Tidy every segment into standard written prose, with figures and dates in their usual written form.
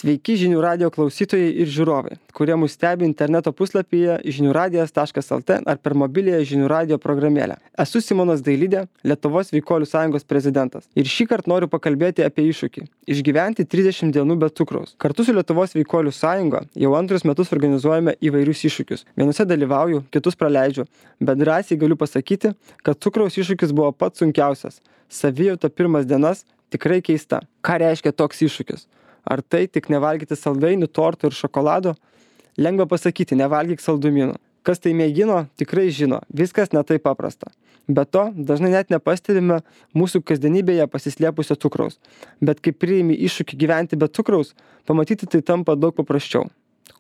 Sveiki žinių radio klausytojai ir žiūrovai, kurie mus stebi interneto puslapyje žiniųradijas.lt ar per mobiliąją žinių radio programėlę. Esu Simonas Dailidė, Lietuvos Sveikuolių sąjungos prezidentas. Ir šįkart noriu pakalbėti apie iššūkį – išgyventi 30 dienų be cukraus. Kartu su Lietuvos Sveikuolių sąjunga jau antrus metus organizuojame įvairius iššūkius. Vienuose dalyvauju, kitus praleidžiu, bet drąsiai galiu pasakyti, kad cukraus iššūkis buvo pats sunkiausias. Savijauta pirmas dienas tikrai keista. Ką reiškia toks iššūkis? Ar tai tik nevalgyti saldainių, tortų ir šokolado? Lengva pasakyti, nevalgyk saldumynų. Kas tai mėgino, tikrai žino, viskas ne taip paprasta. Be to, dažnai net nepastebime mūsų kasdienybėje pasislėpusio cukraus. Bet kai priimi iššūkį gyventi be cukraus, pamatyti tai tampa daug paprasčiau.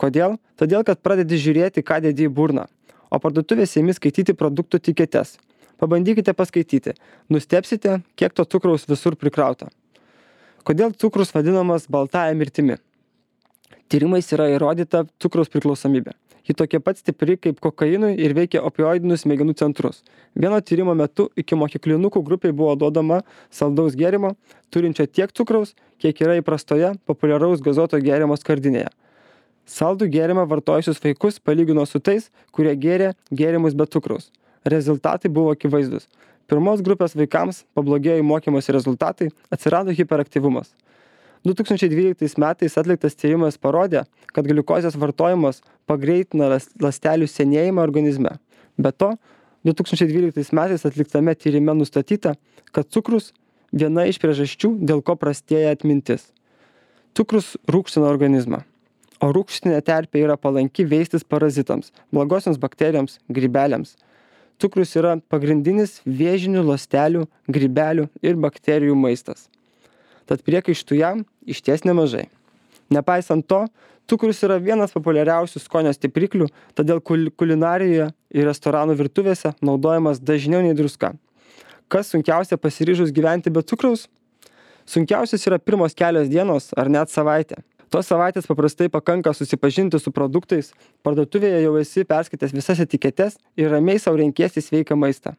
Kodėl? Todėl, kad pradedi žiūrėti, ką dedi į burną, o parduotuvėse imi skaityti produktų etiketes. Pabandykite paskaityti, nustebsite, kiek to cukraus visur prikrauta. Kodėl cukrus vadinamas baltąja mirtimi? Tyrimais yra įrodyta cukraus priklausomybė. Ji tokia pat stipri kaip kokainui ir veikia opioidinius smegenų centrus. Vieno tyrimo metu ikimokyklinukų grupiai buvo duodama saldaus gėrimo, turinčio tiek cukraus, kiek yra įprastoje populiaraus gazuoto gėrimo skardinėje. Saldų gėrimą vartojusius vaikus palygino su tais, kurie gėrė gėrimus be cukraus. Rezultatai buvo akivaizdus. Pirmos grupės vaikams pablogėjo mokymosi rezultatai, atsirado hiperaktyvumas. 2012 metais atliktas tyrimas parodė, kad gliukozės vartojimas pagreitina ląstelių senėjimą organizme. Be to, 2012 metais atliktame tyrime nustatyta, kad cukrus viena iš priežasčių, dėl ko prastėja atmintis. Cukrus rūgština organizmą, o rūgštinė terpė yra palanki veistis parazitams, blogosioms bakterijoms, grybeliams. Cukrus yra pagrindinis vėžinių ląstelių, grybelių ir bakterijų maistas. Tad priekaištų jam išties nemažai. Nepaisant to, cukrus yra vienas populiariausių skonio stipriklių, todėl kulinarijoje ir restoranų virtuvėse naudojamas dažniau nei druska. Kas sunkiausia pasiryžus gyventi be cukraus? Sunkiausias yra pirmos kelios dienos ar net savaitė. Tos savaitės paprastai pakanka susipažinti su produktais, parduotuvėje jau esi perskaitęs visas etiketes ir ramiai sau renkiesi sveiką maistą.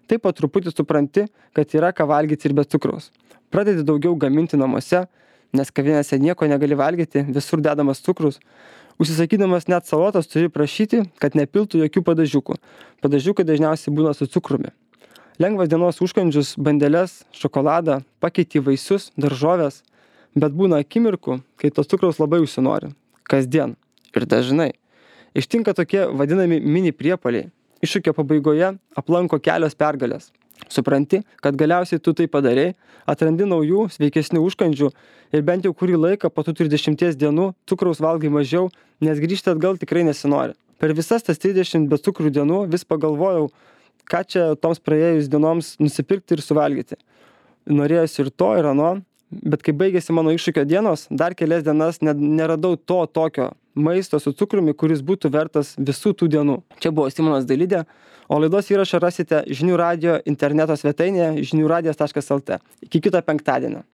Taip po truputį supranti, kad yra ką valgyti ir be cukraus. Pradedi daugiau gaminti namuose, nes kavinėse nieko negali valgyti, visur dedamas cukrus. Užsisakydamas net salotas turi prašyti, kad nepiltų jokių padažiukų. Padažiukai dažniausiai būna su cukrumi. Lengvas dienos užkandžius, bandeles, šokoladą, pakeiti vaisius, daržoves. Bet būna akimirkų, kai tos cukraus labai užsinori. Kasdien. Ir dažnai. Ištinka tokie vadinami mini priepuoliai. Iššūkio pabaigoje aplanko kelios pergalės. Supranti, kad galiausiai tu tai padarei, atrandi naujų, sveikesnių užkandžių ir bent jau kurį laiką po tų 30 dienų cukraus valgai mažiau, nes grįžti atgal tikrai nesinori. Per visas tas 30 be cukrų dienų vis pagalvojau, ką čia toms praėjus dienoms nusipirkti ir suvalgyti. Norėjosi ir to, ir ano. Bet kai baigėsi mano iššūkio dienos, dar kelias dienas neradau to tokio maisto su cukrumi, kuris būtų vertas visų tų dienų. Čia buvo Simonas Dailidė, o laidos įrašą rasite žinių radio interneto svetainėje žiniųradijas.lt. Iki kito penktadienio.